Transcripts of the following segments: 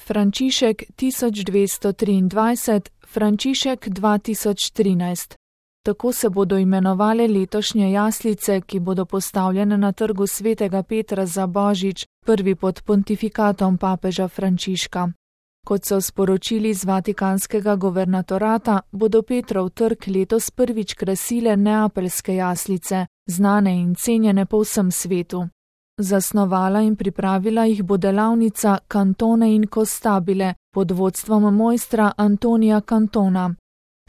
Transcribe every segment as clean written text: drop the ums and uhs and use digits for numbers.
Frančišek 1223, Frančišek 2013. Tako se bodo imenovale letošnje jaslice, ki bodo postavljene na trgu Svetega Petra za Božič, prvi pod pontifikatom papeža Frančiška. Kot so sporočili iz Vatikanskega guvernatorata, bodo Petrov trg letos prvič krasile neapeljske jaslice, znane in cenjene po vsem svetu. Zasnovala in pripravila jih bo delavnica Cantone in Costabile pod vodstvom mojstra Antonija Cantona.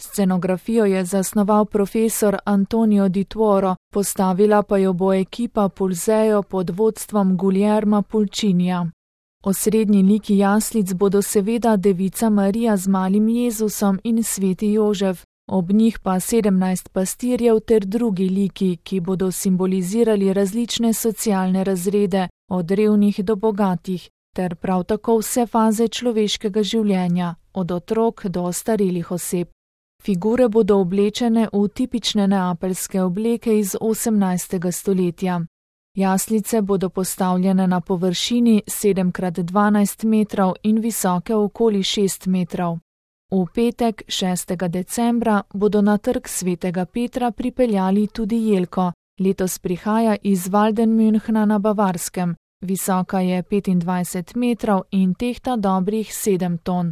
Scenografijo je zasnoval profesor Antonio Di Tuoro, postavila pa jo bo ekipa Pulzeo pod vodstvom Guillerma Pulcinija. Osrednji liki jaslic bodo seveda Devica Marija z malim Jezusom in sveti Jožef, ob njih pa 17 pastirjev ter drugi liki, ki bodo simbolizirali različne socialne razrede, od revnih do bogatih, ter prav tako vse faze človeškega življenja, od otrok do ostarelih oseb. Figure bodo oblečene v tipične neapeljske obleke iz 18. stoletja. Jaslice bodo postavljene na površini 7x12 metrov in visoke okoli 6 metrov. V petek, 6. decembra, bodo na trg Svetega Petra pripeljali tudi jelko. Letos prihaja iz Waldenmünchna na Bavarskem. Visoka je 25 metrov in tehta dobrih 7 ton.